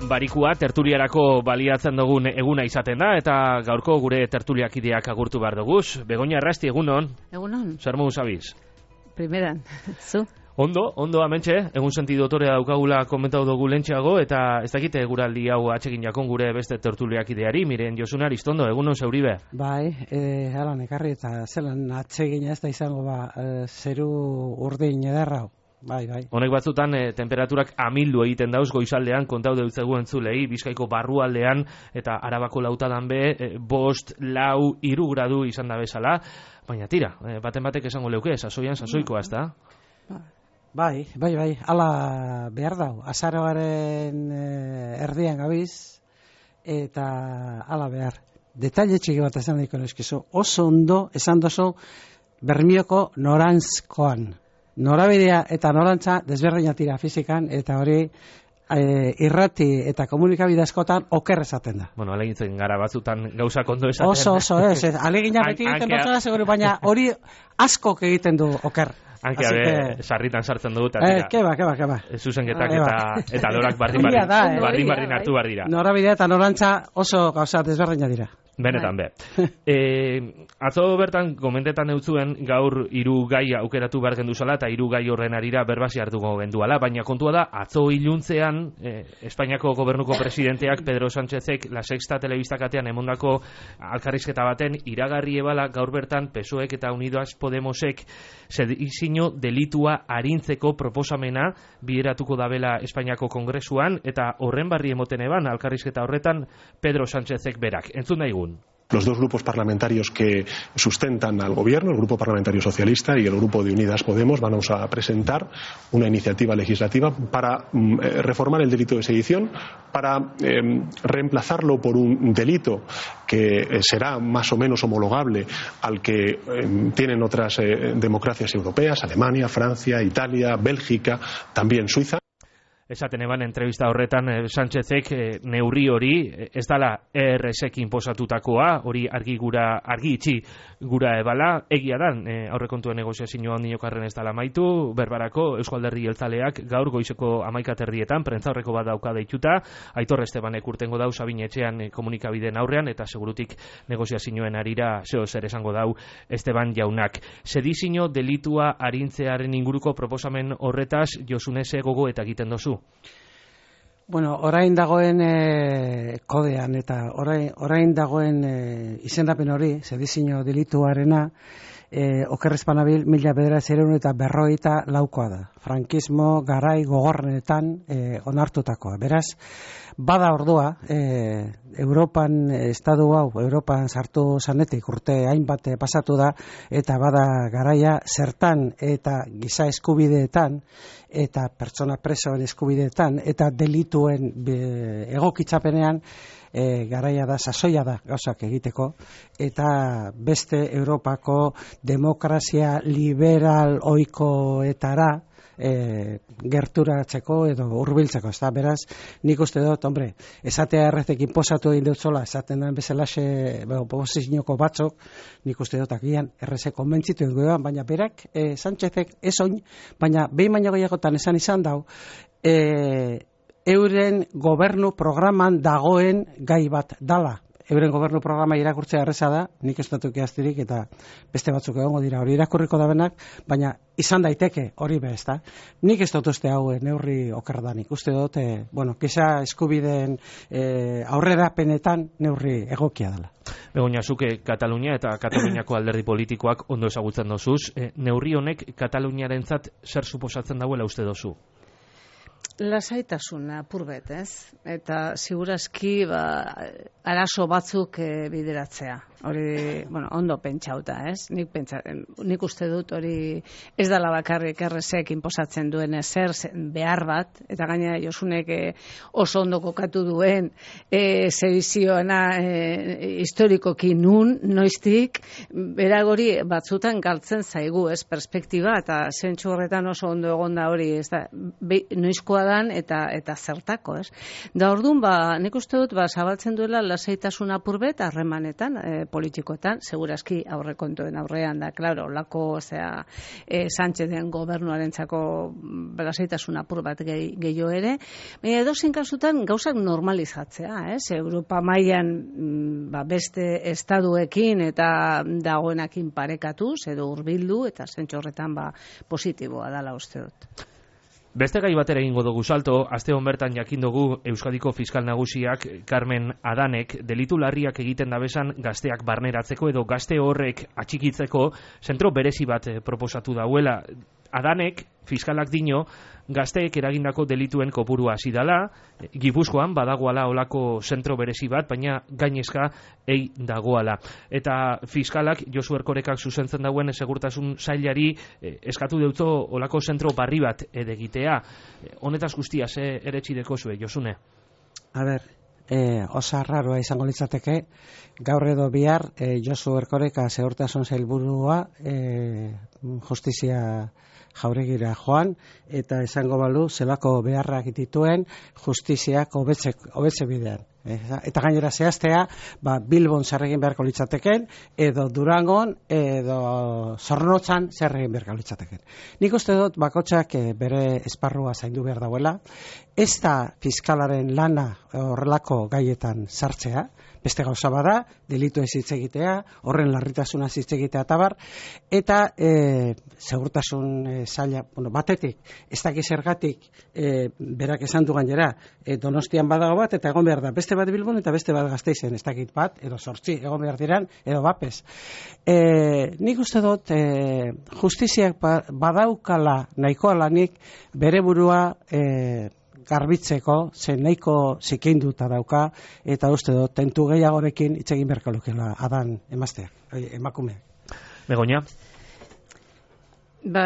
barikua tertuliarako baliatzen dugun eguna izaten da, eta gaurko gure tertuliakideak agurtu behar duguz. Begoña Errasti, egunon? Egunon. Zer modu zabiz? Primeran, zu? Ondo, amentxe, egun senti dotorea daukagula komentau dugu lentxeago, eta ez dakite guraldi hau atxekin jakon gure beste tertuliakideari, Miren Josunar, iztondo, egunon zeuribe? Bai, halan ekarri eta zelan atsegina ez da izango zeru urdin ederra. Bai. Honek batzutan temperaturak amildu egiten dauz goizaldean, kontau deutzegu entzulei, Bizkaiko barrualdean eta Arabako lautadan be, 5, 4, 3 gradu izan da bezala, baina tira, baten batek esango leuke, sasoikoa ez da? Bai, ala behar dau, azaroaren erdian gabiz, eta ala behar. Detaile txiki bat esan daiko neskizu, oso ondo esan dozu Bermioko norantzkoan. Norabidea eta norantza desberdina tira fizikan, eta hori irrati eta komunikabide askotan oker esaten da. Bueno, alegintzen gara batzutan gauzak ondo esaten. Oso, alegina beti egiten dutela, seguru, baina hori askok egiten du oker. Hanke sarritan sartzen dugu, eta keba. Zuzenketak eta lorak bardin hartu behar dira. Norabidea eta norantza oso gauza desberdina dira. Benetan, atzo bertan komentetan eutzuen gaur 3 gai aukeratu behar genduzala eta 3 gai horren arira berbasi hartuko genduala, baina kontua da, atzo iluntzean Espainiako gobernuko presidenteak Pedro Sánchezek La Sexta telebistakatean emondako alkarrizketa baten iragarri ebala gaur bertan PSOEk eta Unidas Podemosek sedizio delitua arintzeko proposamena bideratuko dabela Espainiako Kongresuan, eta horren barri emoten eban alkarrizketa horretan Pedro Sánchezek berak. Entzun daigun. Los dos grupos parlamentarios que sustentan al gobierno, el Grupo Parlamentario Socialista y el Grupo de Unidas Podemos, van a presentar una iniciativa legislativa para reformar el delito de sedición, para reemplazarlo por un delito que será más o menos homologable al que tienen otras democracias europeas, Alemania, Francia, Italia, Bélgica, también Suiza. Esaten eban entrevista horretan Sánchezek neurri hori ez dala ERSek inposatutakoa, hori argi itxi gura ebala, egia dan aurrekontuen negoziazioa ondinokarren ez dala maitu, berbarako Eusko Alderdi Jeltzaleak gaur goizeko 11 prentza horreko bat dauka deituta, Aitor Estebanek urtengo dau Sabin Etxean komunikabideen aurrean, eta segurutik negoziazioen arira zeo zer esango dau Esteban jaunak. Sedizio delitua arintzearen inguruko proposamen horretaz Josunese gogo eta egiten dozu. Bueno, orain dagoen kodean eta orain dagoen izendapen hori, sedizio delituarena, okerrezpanabil 1954 da. Frankismo garai gogorrenetan onartutakoa. Beraz, bada ordua, Europan sartu zanetik urte hainbat pasatu da, eta bada garaia zertan eta giza eskubideetan, eta pertsona presoen eskubideetan, eta delituen egokitzapenean, garaia da, sasoia da gauzak egiteko, eta beste Europako demokrazia liberal ohikoetara gerturatzeko edo hurbiltzeko, ez da, beraz, nik uste dut, esatea erretek inposatu egin dut zola, esaten den bezalaxe oposizioko batzok, nik uste dut agian errezek konbentzitu edo, baina berak, Sánchezek ez oin, baina behin baino gehiagotan izan dau, euren gobernu programan dagoen gai bat dala. Euren gobernu programa irakurtzea erreza da, nik ez dut eaztirik eta beste batzuk egongo dira hori irakurriko da benak, baina izan daiteke hori bez da. Nik ez dut uste hau neurri okerdanik, uste dut, giza eskubideen aurrerapenetan neurri egokia dela. Begoña, zuke Katalunia eta Kataluniako alderdi politikoak ondo ezagutzen dozuz, neurri honek Kataluniarentzat zer suposatzen dauela uste dozu? Lasaitasuna purbet, ez? Eta segurazki arazo batzuk bideratzea. Hori, ondo pentsauta, ez? Nik uste dut hori ez dela bakarrik errezek inposatzen duen ezer behar bat, eta gainera Josunek oso ondo kokatu duen sedizioena historikoki noiztik, beragori batzutan galtzen zaigu, ez? Perspektiba, eta zentsu horretan oso ondo egonda hori, ez da, noizkoa dan eta zertako, ez? Da orduan, nik uste dut, zabaltzen duela lasaitasun apurbet harremanetan, politikoetan, segurazki aurrekontuen aurrean da, klaro, lako, Sánchezen gobernuarentzako lasaitasun apur bat gehiago ere, baina edozein kasutan gauzak normalizatzea, ez? Europa mailan beste estaduekin eta dagoenakin parekatuz, edo hurbildu, eta zentzu horretan positiboa dala uste dut. Beste gai batera egingo dugu salto, aste hon bertan jakin dugu Euskadiko fiskal nagusiak Carmen Adanek delitu larriak egiten dabesan gazteak barneratzeko edo gazte horrek atxikitzeko zentro berezi bat proposatu dauela. Adanek, fiskalak dino, gazteek eragindako delituen kopurua hasi dala, Gipuzkoan badagoala olako zentro berezi bat, baina gainezka ei dagoala. Eta fiskalak Josu Erkorekak zuzentzen dauen segurtasun sailari eskatu deutzo olako zentro barri bat edegitea. Honetaz guztia, eretxideko zue, Josune? A ber, osa raroa izango litzateke, gaur edo bihar Josu Erkoreka segurtasun sailburua justizia jauregira joan, eta esango balu zelako beharrak dituen justiziak hobetze bidean. Eta gainera zehaztea, Bilbon zer egin beharko litzateken, edo Durangon, edo Zornotzan zer egin beharko litzateken. Nik uste dut bakotxak bere esparrua zaindu behar dauela, ez da fiskalaren lana horrelako gaietan sartzea, beste gauza bada, delitu ez hitz egitea, horren larritasuna hitz egitea tabar, eta segurtasun saila, batetik, ez dakiz zergatik berak esan du gainera, Donostian badago bat, eta egon behar da, beste bat Bilbon eta beste bat Gasteizen, ez dakit bat, edo 8 egon behar diran, edo bapez. Nik uste dut, justiziak badaukala nahikoa lanik bere burua garbitzeko, zen nahiko zikinduta dauka, eta uste dut, tentu gehiagorekin hitz egin beharko lukela Adan emazteak, emakumeak. Begoña?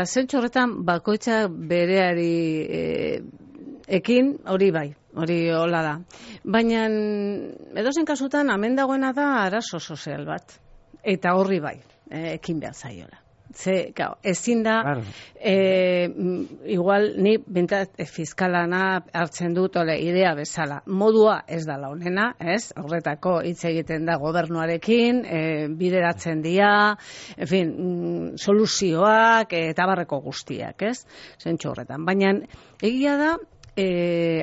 Zentzu horretan, bakoitza bereari ekin, hori bai, hori hola da. Baina, edozen kasutan, hemen dagoena da arazo sozial bat, eta horri bai, ekin behar zaiola. Ezin da, igual ni bintat fiskalana hartzen dut idea bezala. Modua ez da launena, ez? Horretako hitz egiten da gobernuarekin, bideratzen dira, en fin, soluzioak eta barreko guztiak, ez? Zentzu horretan. Baina egia da,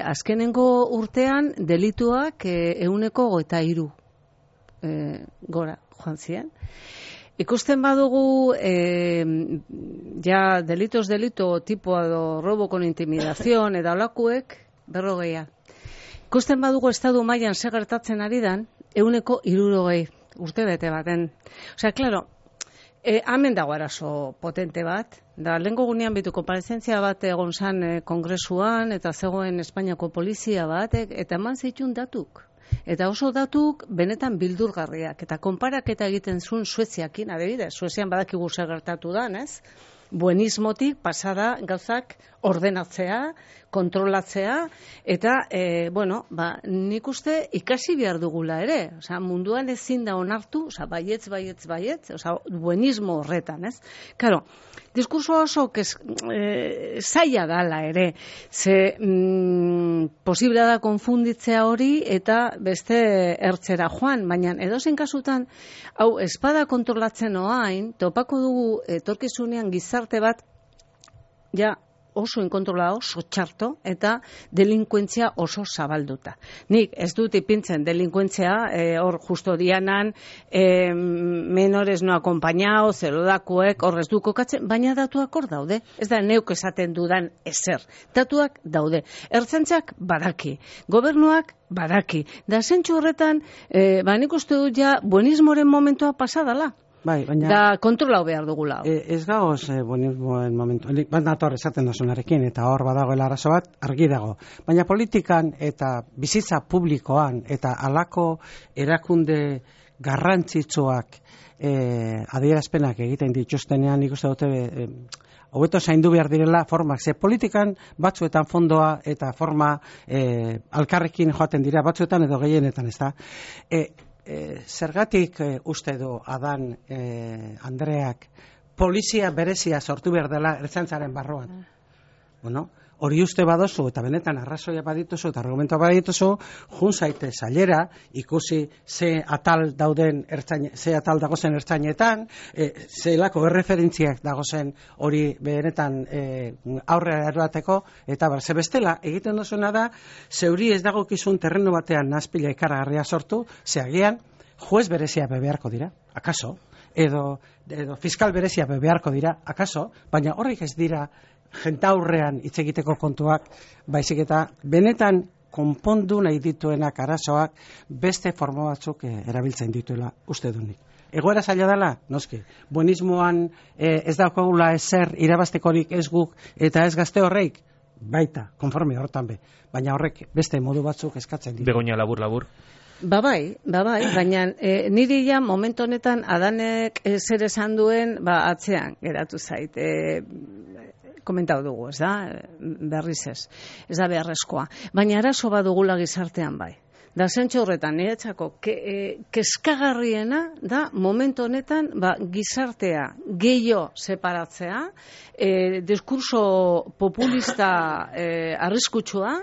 azkenengo urtean delituak 123 gora joan ziren. Ikusten badugu, delitos tipo edo robo con intimidación eta olakuek 40. Ikusten badugu estadu mailan zer gertatzen ari dan, 160 urte bete baten. Osea, claro, hemen dago arazo potente bat, da lehengo gunean bitu konparezentzia bat egon zan kongresuan, eta zegoen Espainiako polizia bat, eta eman zeitun datuk. Eta oso datuk benetan bildurgarriak. Eta konparaketa egiten zuen Sueziakin, adibidez, Suezian badakigu zer gertatu dan, ez? Buenismotik pasada gauzak ordenatzea, kontrolatzea, eta, nik uste ikasi behar dugula ere. Osea, munduan ezin da onartu, osea, baietz, osea, buenismo horretan, ez? Claro, diskurso oso zaila dala ere, ze posiblea da konfunditzea hori eta beste ertzera joan, baina edozein kasutan, hau espada kontrolatzen oain, topako dugu etorkizunean gizarte bat, oso inkontrolado, oso txarto, eta delinkuentzia oso zabalduta. Nik ez dut ipintzen delinkuentzia, hor justo dianan, menores no acompañado, zelodakuek, hor ez du kokatzen, baina datuak hor daude. Ez da neuk esaten dudan ezer. Datuak daude. Ertzaintzak badaki, gobernuak badaki. Da zentzu horretan, nik uste dut buenismoren momentua pasadala. Bai, baina... Da kontrolau behar dugula. Ez gagoz, buenismoen momentu. Bat nator esaten dasunarekin, eta hor badagoela arazo bat, argi dago. Baina politikan eta bizitza publikoan, eta halako erakunde garrantzitsuak adierazpenak egiten dituztenean, nik uste dute... hobeto zaindu behar direla formak. Ze politikan batzuetan fondoa eta forma alkarrekin joaten dira, batzuetan edo gehienetan, ez da? Zergatik uste du Adan Andreak polizia berezia sortu behar dela ertzaintzaren barruan? hori uste badozu, eta benetan arrazoia badituzu, eta argumentua badituzu, jun zaite zailera, ikusi ze atal dagozen ertzainetan, zelako erreferentziak dagozen hori benetan aurrera eroateko, eta ze bestela, egiten duzuna da, zeuri ez dagokizun terreno batean nazpila ikaragarria sortu, ze agian, juez berezia beharko dira, akaso, edo fiskal berezia beharko dira, akaso, baina horrek ez dira jentaurrean hitz egiteko kontuak, baizik eta benetan konpondu nahi dituenak arazoak beste forma batzuk erabiltzen dituela uste dunik. Egoera zaila dela, noski, buenismoan ez daukagula ezer irabaztekorik ez guk eta ez gazte horreik, baita, konforme hortan be, baina horrek beste modu batzuk eskatzen ditu. Begoña, labur. Ba bai, baina niri ja momentu honetan Adanek zer esan duen atzean geratu zait. Komentau dugu, ez da, berriz ez da beharrezkoa. Baina arazo badugula gizartean bai. Da zentxo horretan, niretzako, kezkagarriena da momentu honetan gizartea gehiago separatzea, diskurso populista arriskutsua,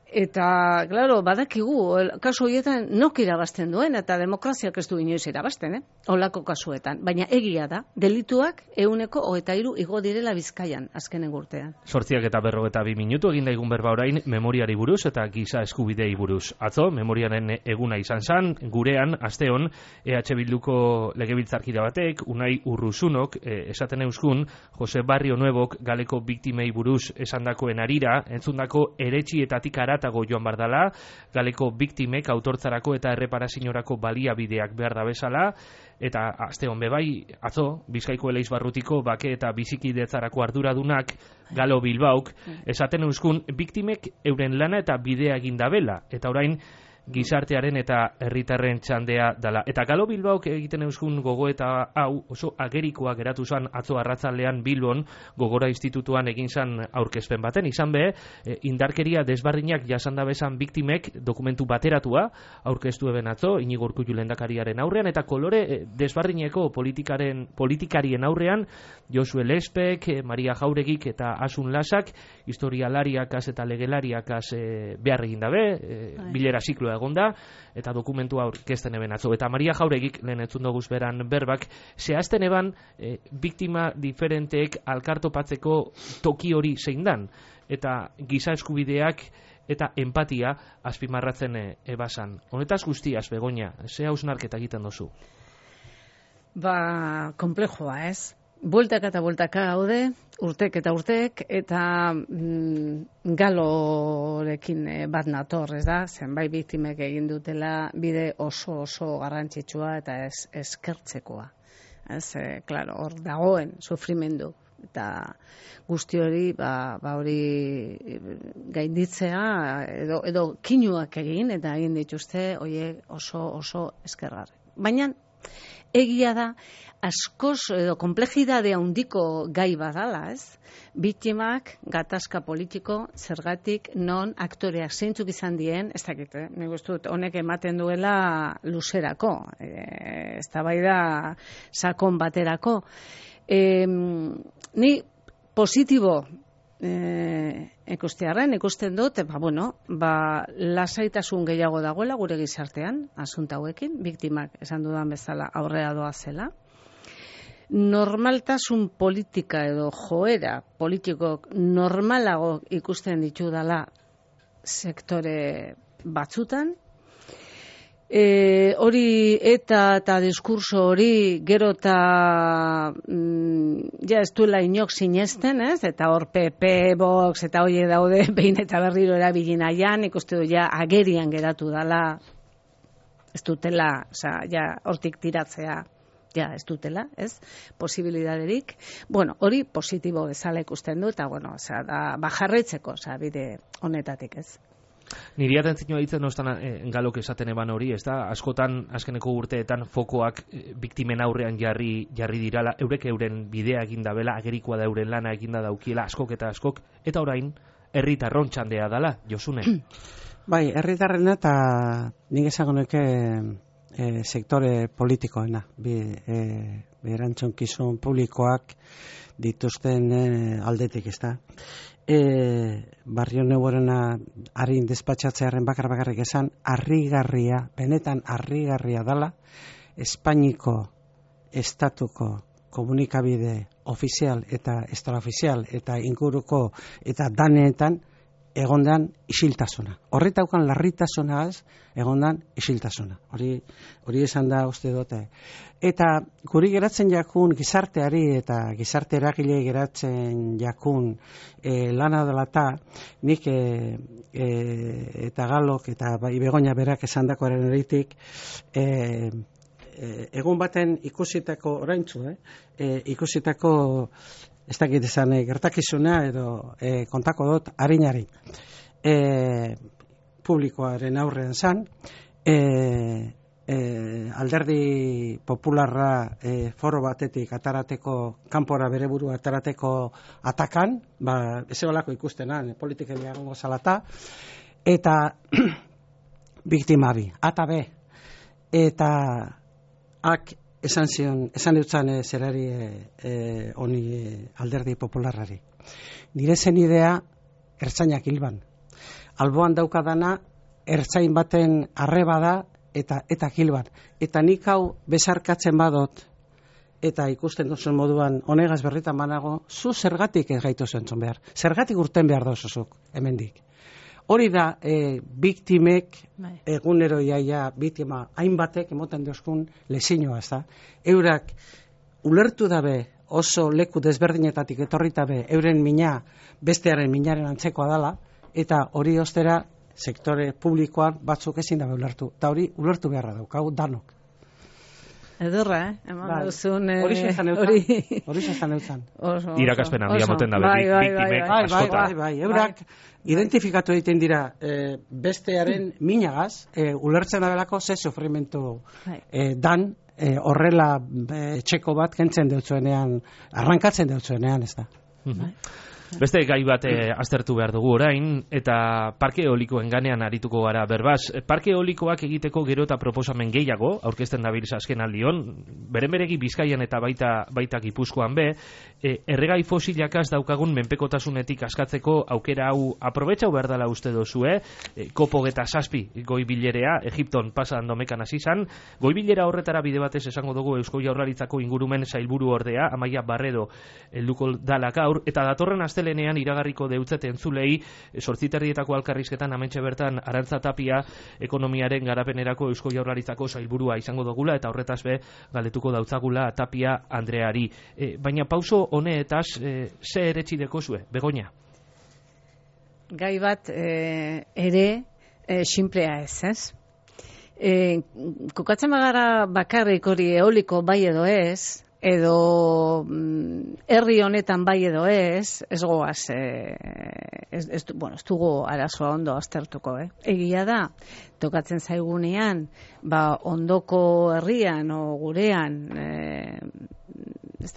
eta, claro, badakigu, kasu horietan nok irabazten duen, eta demokraziak ez du inoiz irabazten, holako kasuetan. Baina egia da, delituak 123 igo direla Bizkaian, azkenen urtean. 8:42 minutu egin daigun berba orain memoriari buruz eta giza eskubidei buruz. Atzo, memoriaren eguna izan zen, gurean, asteon, EH Bilduko legebiltzarkide batek, Unai Urrusunok, esaten euskun, Jose Barrio Nuevok galeko biktimei buruz esandakoen arira, entzundako eretxietatik aratago joan bardala, galeko biktimek autortzarako eta erreparazioarako baliabideak behar da bezala, eta aste hon bebai, atzo, Bizkaiko Eleizbarrutiko bake eta bizikidetzarako arduradunak Galo Bilbaok, esaten euskun biktimek euren lana eta bidea egin dabela, eta orain gizartearen eta herritarren txandea dala. Eta Galo Bilbaok egiten euskun gogoeta hau oso agerikoa geratu zen atzo arratzaldean Bilbon Gogora Institutuan egin zen aurkezpen baten. Izan be, indarkeria desbardinak jasanda bezan biktimek dokumentu bateratua aurkeztu eben atzo, Inigo Urkullu lehendakariaren aurrean, eta kolore desbardineko politikarien aurrean Josue Lespek, Maria Jauregik eta Asun Lasak, historialariakaz eta legelariakaz behar egin dabe, bilera zikloa egonda, eta dokumentua aurkezten eben atzo. Eta Maria Jauregik, lehen entzun doguz beran berbak, zehazten eban biktima diferenteek alkartopatzeko toki hori zein dan, eta giza eskubideak eta empatia azpimarratzen ebasan. Honetaz guztiaz, Begoña, ze hausnarketa egiten dozu? Komplejoa, ez? Bueltaka eta bueltaka gaude, urtek eta urtek, eta Galorekin bat nator, ez da? Zenbait biktimek egin dutela bide oso garrantzitsua eta eskertzekoa. Ez, claro, hor dagoen sufrimendu. Eta guzti hori, hori gainditzea, edo kinuak egin, eta egin dituzte, horiek oso eskergarri. Baina, egia da, askoz edo komplejidade handiko gai badala, ez? Biktimak, gatazka politiko, zergatik, non aktoreak zeintzuk izan dien, ez dakit, nik uste dut honek ematen duela luzerako, eztabaida sakon baterako. Ni positibo ikusten dut, lasaitasun gehiago dagoela gure gizartean, asunta hauekin, biktimak esan dudan bezala aurrera doazela. Normaltasun politika edo joera politikok normalago ikusten ditudala sektore batzutan. Hori eta diskurso hori gero eta ez duela inok sinesten, ez? Eta hor PP, Vox eta horiek daude behin eta berriro erabili nahian, ikuste du ja agerian geratu dala, ez dutela, hortik tiratzea, ez dutela, ez? Posibilidaderik. Hori positibo bezala ikusten du, eta jarraitzeko, bide honetatik, ez? Niri atentzioa ditzen Galok esaten eban hori, ez da, askotan, azkeneko urteetan fokoak biktimen aurrean jarri dirala, eurek euren bidea eginda bela, agerikoa da euren lana eginda daukiela, askok, eta orain, herritarron txandea dala, Josune. Bai, herritarrena eta nik esagoneke sektore politikoena, erantzunkizun publikoak dituzten aldetik, ez da. Barrio Neuborena harin despatxatzearen bakarrik esan, harrigarria, benetan harrigarria dala, Espainiko estatuko komunikabide ofizial eta extraofizial eta inguruko eta daneetan egondan isiltasuna. Horretaukan larritasunaz egondan isiltasuna. Hori esan da uste dute. Eta guri geratzen jakun gizarteari eta gizarte eragilei geratzen jakun lana dela nik eta Galok eta Begoña berak esandakoaren eritik egun baten ikusitako oraintzu, ikusitako ez dakit esan gertakizuna edo kontako dut harinari publikoaren aurrean zan alderdi popularra foro batetik atarateko kanpora bere burua atarateko atakan, ez ebalako ikustenan politikeria gongo zalata eta biktima bi, ata be eta esan dutzan zerari honi alderdi popularrari. Nire zen idea ertzainak hilban. Alboan daukadana ertzain baten arreba da eta hilban. Eta nik hau besarkatzen badot eta ikusten duzun moduan honegaz berritan banago, zu zergatik ez gaitu zentzun behar. Zergatik urten behar dozuzuk, hemendik. Hori da, biktimek, egunero iaia biktima hainbatek emoten duzkun lezinoa, ez da. Eurak ulertu dabe oso leku desberdinetatik etorritabe euren mina bestearen minaren antzekoa dala, eta hori ostera sektore publikoan batzuk ezin dabe ulertu. Eta hori ulertu beharra daukau danok. Edurra, eman duzun... Hori zezan eutzan. Irakaspen handia moten da biktimek askota. Bai, eurak identifikatu egiten dira bestearen minagaz, ulertzen dabelako ze sufrimentu dan horrela txeko bat kentzen deutzuenean, arrankatzen deutzuenean, ez da. Beste gai bat aztertu behar dugu orain, eta parke eolikoen ganean arituko gara berbaz. Parke eolikoak egiteko gero eta proposamen gehiago, aurkezten dabilz azken aldion, beren-beregi Bizkaian eta baita Gipuzkoan be, erregai fosilakaz daukagun menpekotasunetik askatzeko aukera hau aprobetxau behar dela uste dozue, COP27 goi bilerea, Egipton pasan domekan hasi zan, goi bilera horretara bide batez esango dugu Eusko Jaurlaritzako ingurumen sailburu ordea, Amaia Barredo helduko dala gaur, eta datorren astelenean iragarriko deutzet entzulei 8:30 alkarrizketan hementxe bertan Arantza Tapia ekonomiaren garapenerako Eusko Jaurlaritzako sailburua izango dugula eta horretaz be galdetuko dautzagula Tapia Andreari. Baina pauso honetaz ze eretsi dekozue, Begoña? Gai bat ere sinplea ez? Kokatzen bagara bakarrik hori eoliko bai edo ez, edo herri honetan bai edo ez goaz, ez dugu arazoa ondo aztertuko, Egia da, tokatzen zaigunean, ondoko herrian o gurean,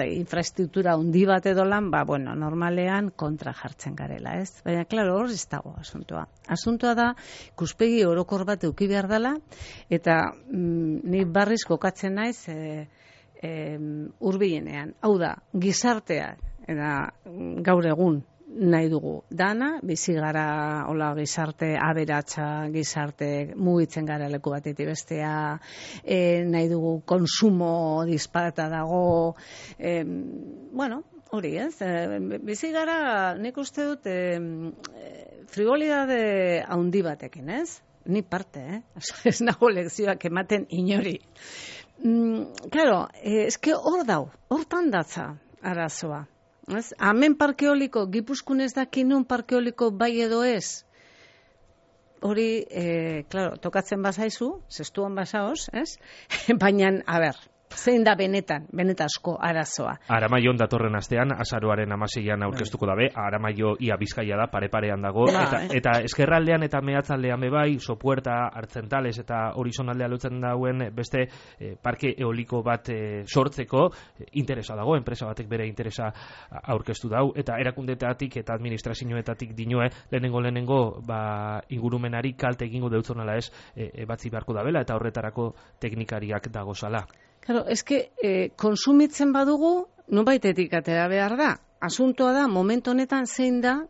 infraestruktura handi bat edo lan, normalean kontra jartzen garela, ez? Baina, klaro, hor ez dago asuntoa. Asuntoa da, ikuspegi orokor bat eduki behar dela, eta ni barriz kokatzen naiz, hurbilenean. Hau da, gizartea, eta gaur egun nahi dugu dana, bizi gara hola gizarte aberatsa, gizarte mugitzen gara leku batetik bestea, nahi dugu konsumo disparata dago, hori ez, bizi gara nik uste dut frivolidade handi batekin, ez? Ni parte, ez nago lekzioak ematen inori. Claro, eske hortan datza arazoa. Hemen parke eoliko, Gipuzkoan ez daki nun parke eoliko bai edo ez. Hori, claro, tokatzen bazaizu, zestuan bazaoz, ez? Baina, zein da benetazko arazoa. Aramaion datorren astean, azaroaren 16an aurkeztuko dabe, Aramaio ia Bizkaia da, pare-parean dago, eta eskerraldean eta mehatzaldean bebai, Sopuerta, Artzentales eta Horizonaldea lotzen dauen beste parke eoliko bat sortzeko interesa dago, enpresa batek bere interesa aurkeztu dau, eta erakundetatik eta administrazioetatik dinoe, lehenengo ingurumenari kalte egingo deutzonala ez, batzi beharko dabela, eta horretarako teknikariak dagozala. Claro, eske konsumitzen badugu, nonbaitetik atera behar da. asuntoa da, momentu honetan zein da,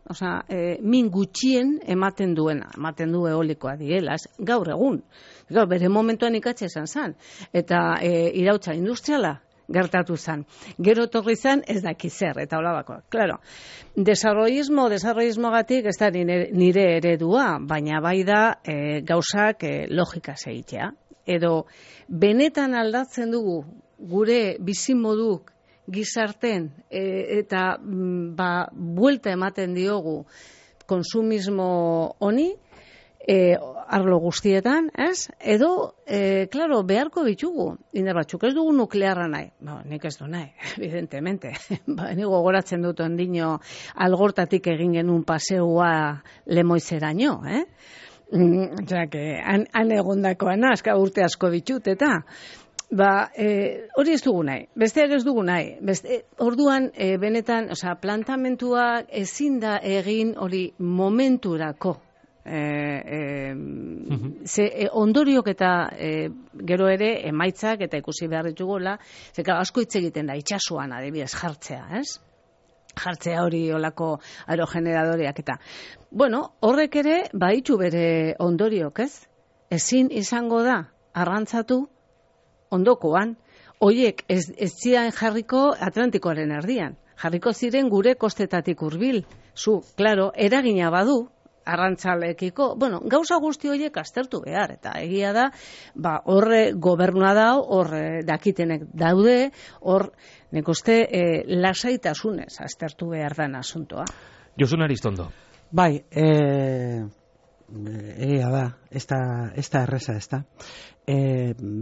min gutxien ematen du eolikoa diela, gaur egun. Gaur, bere momentuan ikatxe esan zan. Eta irautza industriala gertatu zan. Gero torri zan, ez daki zer, eta holabakoa. Claro, desarrollismogatik ez da nire eredua, baina bai da gauzak logika egitea. Edo, benetan aldatzen dugu gure bizimoduk gizarten eta buelta ematen diogu konsumismo honi, arlo guztietan, ez? Edo, claro, beharko ditugu. Indar batzuk ez dugu nuklearra nahi. Nik ez du nahi, evidentemente. Nik gogoratzen dut ondino Algortatik egin genuen paseua Lemoizeraino, han egondakoan aska urte asko ditut, eta hori ez dugu nahi, besteak ez dugu nahi. Orduan, benetan, plantamentua ezin da egin hori momenturako. Ondoriok eta gero ere emaitzak eta ikusi behar ditugola, asko hitz egiten da, itxasuan adibidez jartzea, ez? Jartzea hori olako aerogeneradoreak eta. Bueno, horrek ere baitu bere ondoriok, ez? Ezin izango da arrantzatu ondokoan, hoiek ez zian jarriko Atlantikoaren erdian, jarriko ziren gure kostetatik hurbil. Claro, eragina badu arrantzalekiko, gauza guzti horiek aztertu behar, eta egia da, horre gobernua dau, horre dakitenek daude, hor, nik uste, lasaitasunez aztertu behar den asuntoa. Josun Aristondo. Bai, egia da, ez da erreza, ez da.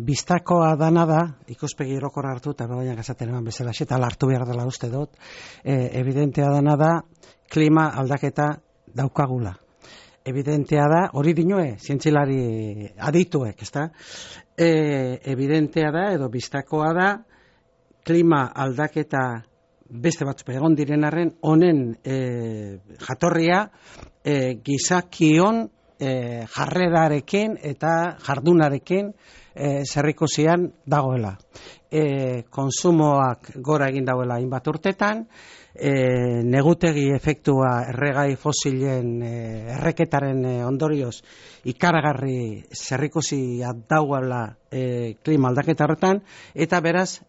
Biztakoa dana da, ikuspegi irokor hartu, eta baina gazaten eman bezala, eta hartu behar dela uste dut, evidentea dana da, klima aldaketa daukagula. Evidentea da, hori dinue, zientzilari adituek, ez da? Evidentea da, edo biztakoa da, klima aldaketa beste batzuk egon direnarren, honen jatorria gizakion jarrerarekin eta jardunarekin zerrikusian dagoela. Konsumoak gora egin dauela hainbat urtetan, negutegi efektua erregai fosilen erreketaren ondorioz ikaragarri zerrikusia dagoela klima aldaketa horretan, eta beraz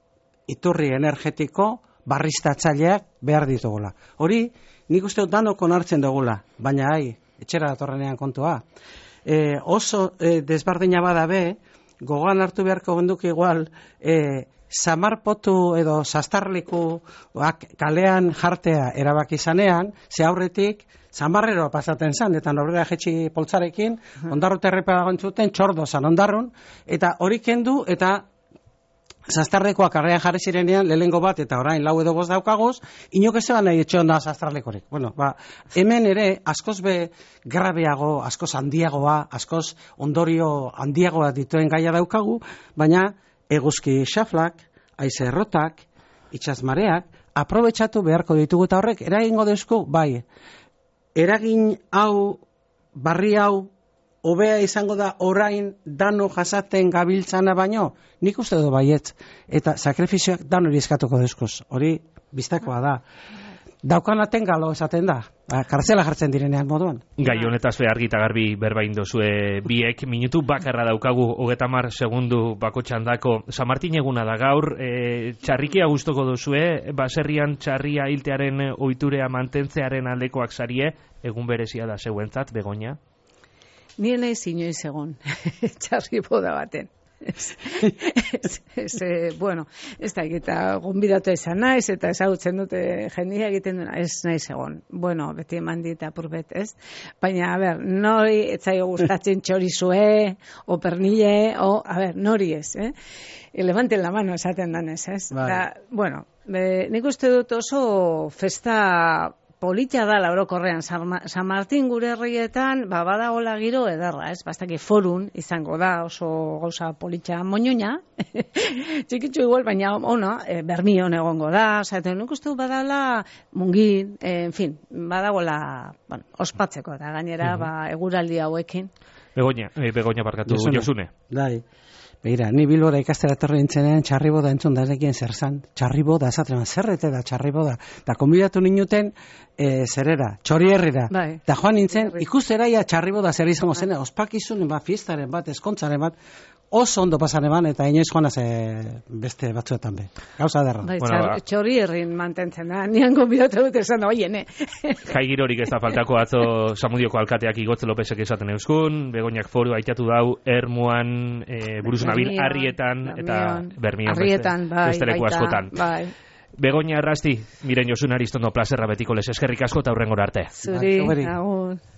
iturri energetiko barriztatzaileak behar ditugula. Hori nik uste dut danok onartzen dugula, baina etxera datorrenean kontua. Oso desberdina bada gogoan hartu beharko genduk igual, samarpotu edo sastarliku kalean jartea erabaki zanean, ze aurretik samarreroa pasaten zan, eta norbera jetxi poltzarekin, ondarru terrepa gontzuten, txordo zan ondarrun, eta hori kendu, eta sastarlekoak arrean jarri zirenean, lehengo bat, eta orain 4 edo 5 daukaguz, inok ez zeban nahi etxeon da sastarlekorik. Hemen ere, askoz grabeago, askoz handiagoa, askoz ondorio handiagoa dituen gaia daukagu, baina eguzki xaflak, haize errotak, itsasmareak, aprobetxatu beharko ditugu, eta horrek, eragingo deuzku, bai, eragin hau, barri hau, hobea izango da orain dano jasaten gabiltzana baino, nik uste du baietz, eta sakrifizioak dano eskatuko deuzkoz, hori biztakoa da. Daukanaten galo esaten da, kartzela jartzen direnean moduan. Gai honetaz argi eta garbi berbain dozue biek, minutu bakarra daukagu 30 segundu bako txandako. San Martin eguna da gaur, txarrikia gustoko dozue, baserrian txarria hiltearen ohiturea mantentzearen aldekoak sarie, egun berezia da zeuentzat, Begoña? Nire nahi inoiz egon, txarri boda baten. Bueno, ez da egita gonbidatu izan naiz, eta ezagutzen dute jendia egiten duena, ez naiz egon. Bueno, beti eman dit apurbet, ez? Baina, nori etzaio gustatzen txorizue, o pernille, nori ez, levanten la mano esaten danez, ez? Bueno, nik uste dut oso festa polita da laurokorrean, San Martin gure herrietan, badagola giro ederra, ez? Bastaki forun izango da oso gauza polita moñoña, txikitzu igual, baina bermion egongo da, nik uste badala mungin, en fin, badagola ospatzeko, eta gainera eguraldi hauekin. Begoña barkatu, Josune. Begira, ni Bilbora ikastera etorri nintzenean txarriboda entzun da nekien zer zan. Txarriboda, esaten zerrete da txarriboda. Da konbidatu ninuten zerera, Txorierrira. Bai. Da joan nintzen, ikusteraia txarriboda zer izango zen, ospakizun fiestaren bat, eskontzaren bat, oso ondo pasan eman, eta inoiz joanaz beste batzuetan be. Gauza derra. Bai, Bueno, Txorierrin mantentzen da, nian konbidatu dut esan, oiene. Jai girorik ez da faltako atzo Samudioko alkateak Igotze Lopezek esaten euskun, Begoñak foru aitatu dau, Ermuan, Buruzunabil, Arrietan, eta Bermion beste leku askotan. Bai. Begoña Errasti, Miren Josun Aristondo plazerra betiko les eskerrik asko eta hurrengora arte. Zuri, agur.